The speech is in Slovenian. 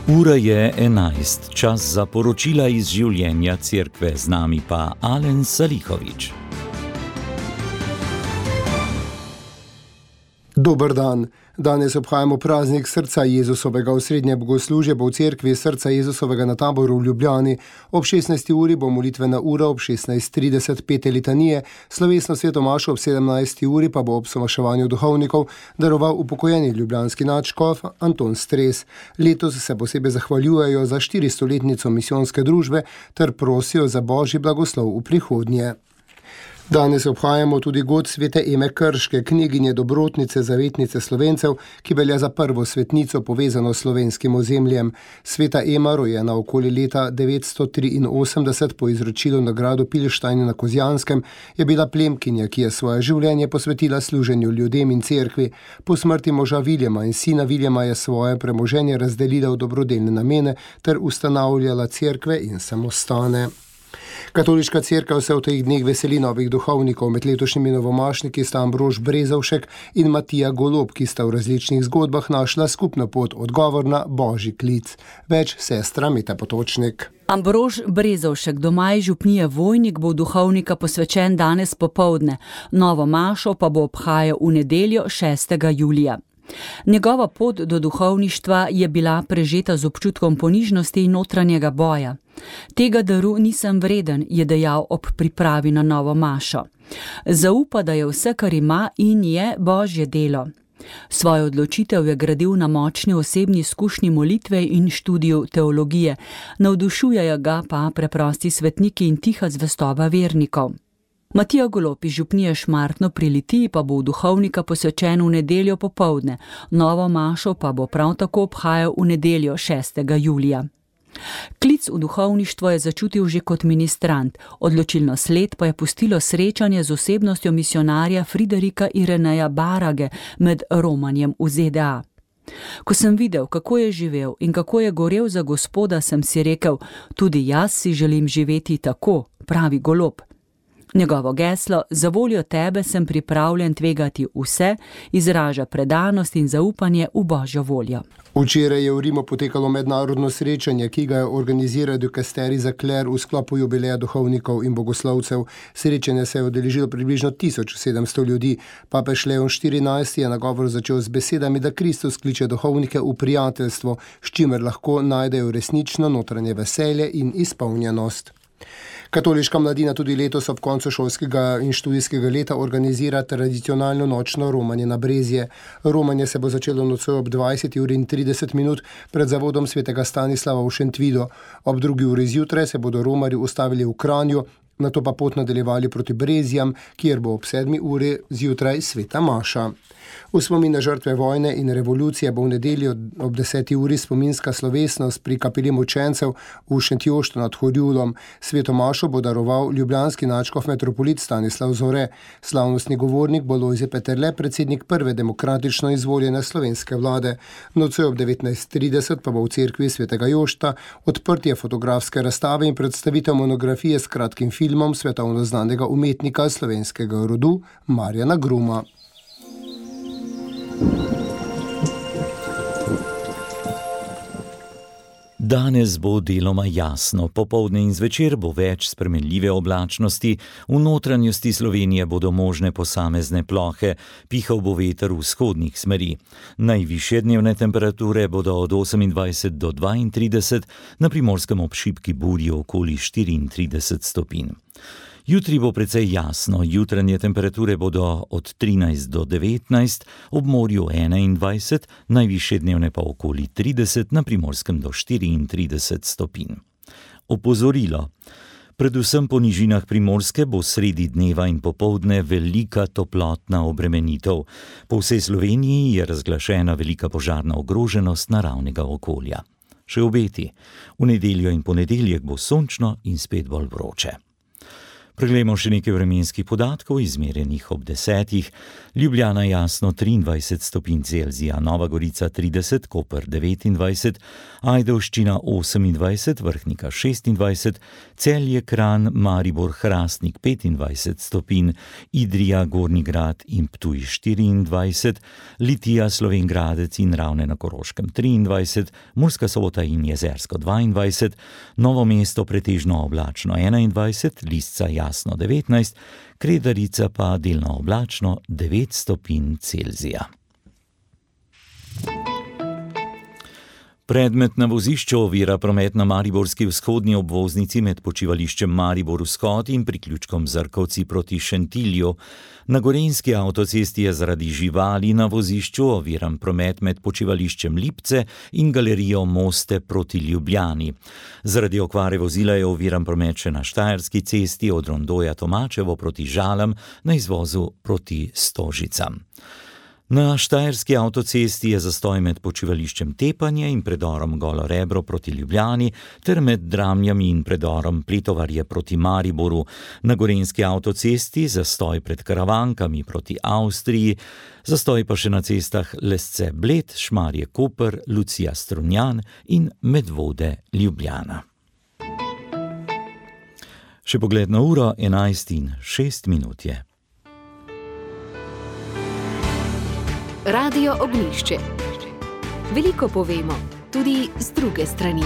Ura je 11, čas za poročila iz življenja cerkve, z nami pa Alen Salihović. Dober dan. Danes obhajamo praznik Srca Jezusovega. Osrednje bogoslužje bo v cerkvi Srca Jezusovega na Taboru v Ljubljani. Ob 16. uri bo molitvena ura, ob 16:30 pete litanije, slovesno sveto mašo ob 17. uri pa bo ob somaševanju duhovnikov daroval upokojeni ljubljanski nadškof Anton Stres. Letos se posebej zahvaljujejo za 400-letnico misijonske družbe ter prosijo za božji blagoslov v prihodnje. Danes obhajamo tudi god svete Eme Krške, kneginje dobrotnice, zavetnice Slovencev, ki velja za prvo svetnico povezano s slovenskim ozemljem. Sveta Ema, rojena okoli leta 983 po izročilu nagrado Pilštajn na Kozjanskem, je bila plemkinja, ki je svoje življenje posvetila služenju ljudem in cerkvi. Po smrti moža Viljama in sina Viljama je svoje premoženje razdelila v dobrodelne namene ter ustanavljala cerkve in samostane. Katoliška cerkev se v teh dneh veseli novih duhovnikov. Med letošnjimi novomašniki sta Ambrož Brezovšek in Matija Golob, ki sta v različnih zgodbah našla skupno pot, odgovor na božji klic. Več sestra Meta Potočnik. Ambrož Brezovšek, doma iz župnije Vojnik, bo duhovnika posvečen danes popoldne. Novo mašo pa bo obhajal v nedeljo 6. julija. Njegova pot do duhovništva je bila prežeta z občutkom ponižnosti in notranjega boja. Tega daru nisem vreden, je dejal ob pripravi na novo mašo. Zaupa, da je vse, kar ima in je, božje delo. Svojo odločitev je gradil na močni osebni izkušnji molitve in študiju teologije. Navdušujejo ga pa preprosti svetniki in tiha zvestoba vernikov. Matija Golob iz župnije Šmartno pri Litiji pa bo v duhovnika posvečen v nedeljo popoldne. Novo mašo pa bo prav tako obhajal v nedeljo 6. julija. Klic v duhovništvo je začutil že kot ministrant, odločilno sled pa je pustilo srečanje z osebnostjo misionarja Friderika Ireneja Barage med romanjem v ZDA. Ko sem videl, kako je živel in kako je gorel za Gospoda, sem si rekel, tudi jaz si želim živeti tako, pravi Golob. Njegovo geslo, za voljo tebe sem pripravljen tvegati vse, izraža predanost in zaupanje v božjo voljo. Včeraj je v Rimu potekalo mednarodno srečanje, ki ga je organiziral dikasterij za kler v sklopu jubileja duhovnikov in bogoslovcev. Srečanje se je udeležilo približno 1700 ljudi. Papež Leon XIV je nagovor začel z besedami, da Kristus kliče duhovnike v prijateljstvo, s čimer lahko najdejo resnično notranje veselje in izpolnjenost. Katoliška mladina tudi letos ob koncu šolskega in študijskega leta organizira tradicionalno nočno romanje na Brezje. Romanje se bo začelo nocoj ob 20:30 pred zavodom svetega Stanislava v Šentvidu. Ob 2. uri zjutraj se bodo romarji ustavili v Kranju, nato pa pot nadaljevali proti Brezjam, kjer bo ob 7. uri zjutraj sveta maša. V spomin na žrtve vojne in revolucije bo v nedeljo ob 10. uri spominska slovesnost pri kapeli mučencev v Šentjoštu nad Horjulom. Sveto mašo bo daroval ljubljanski nadškof metropolit Stanislav Zore. Slavnostni govornik bo Lojze Peterle, predsednik prve demokratično izvoljene slovenske vlade. Nocoj ob 19:30 pa bo v cerkvi svetega Jošta odprtje fotografske razstave in predstavitev monografije s kratkim filmom svetovno znanega umetnika slovenskega rodu Marjana Gruma. Danes bo deloma jasno, popoldne in zvečer bo več spremenljive oblačnosti, v notranjosti Slovenije bodo možne posamezne plohe, pihal bo veter vzhodnih smeri. Najvišje dnevne temperature bodo od 28 do 32, na Primorskem ob šibki burji okoli 34 stopinj. Jutri bo precej jasno, jutranje temperature bodo od 13 do 19, ob morju 21, najvišje dnevne pa okoli 30, na Primorskem do 34 stopinj. Opozorilo. Predvsem po nižinah Primorske bo sredi dneva in popoldne velika toplotna obremenitev. Po vsej Sloveniji je razglašena velika požarna ogroženost naravnega okolja. Še obeti. V nedeljo in ponedeljek bo sončno in spet bolj vroče. Preglejmo še nekaj vremenskih podatkov, izmerjenih ob 10. Ljubljana jasno 23 stopinj Celzija, Nova Gorica 30, Koper 29, Ajdovščina 28, Vrhnika 26, Celje, Kranj, Maribor, Hrastnik 25 stopinj, Idrija, Gornji Grad in Ptuj 24, Litija, Slovenj Gradec in Ravne na Koroškem 23, Murska Sobota in Jezersko 22, Novo mesto pretežno oblačno 21, Lisca jasno 19, Kredarica pa delno oblačno 9 stopinj Celzija. Predmet na vozišču ovira promet na mariborski vzhodni obvoznici med počivališčem Maribor-Vzhod in priključkom Zrkovci proti Šentilju. Na gorenjski avtocesti je zaradi živali na vozišču oviran promet med počivališčem Lipce in galerijo Moste proti Ljubljani. Zaradi okvare vozila je oviran promet še na Štajerski cesti od Rondoja Tomačevo proti Žalam na izvozu proti Stožicam. Na Štajerski avtocesti je zastoj med počivališčem Tepanje in predorom Golo Rebro proti Ljubljani ter med Dramljami in predorom Pletovarje proti Mariboru. Na gorenjski avtocesti zastoj pred Karavankami proti Avstriji, zastoj pa še na cestah Lesce Bled, Šmarje Koper, Lucija Strunjan in Medvode Ljubljana. Še pogled na uro, 11:06 je. Radio Ognjišče. Veliko povemo, tudi z druge strani.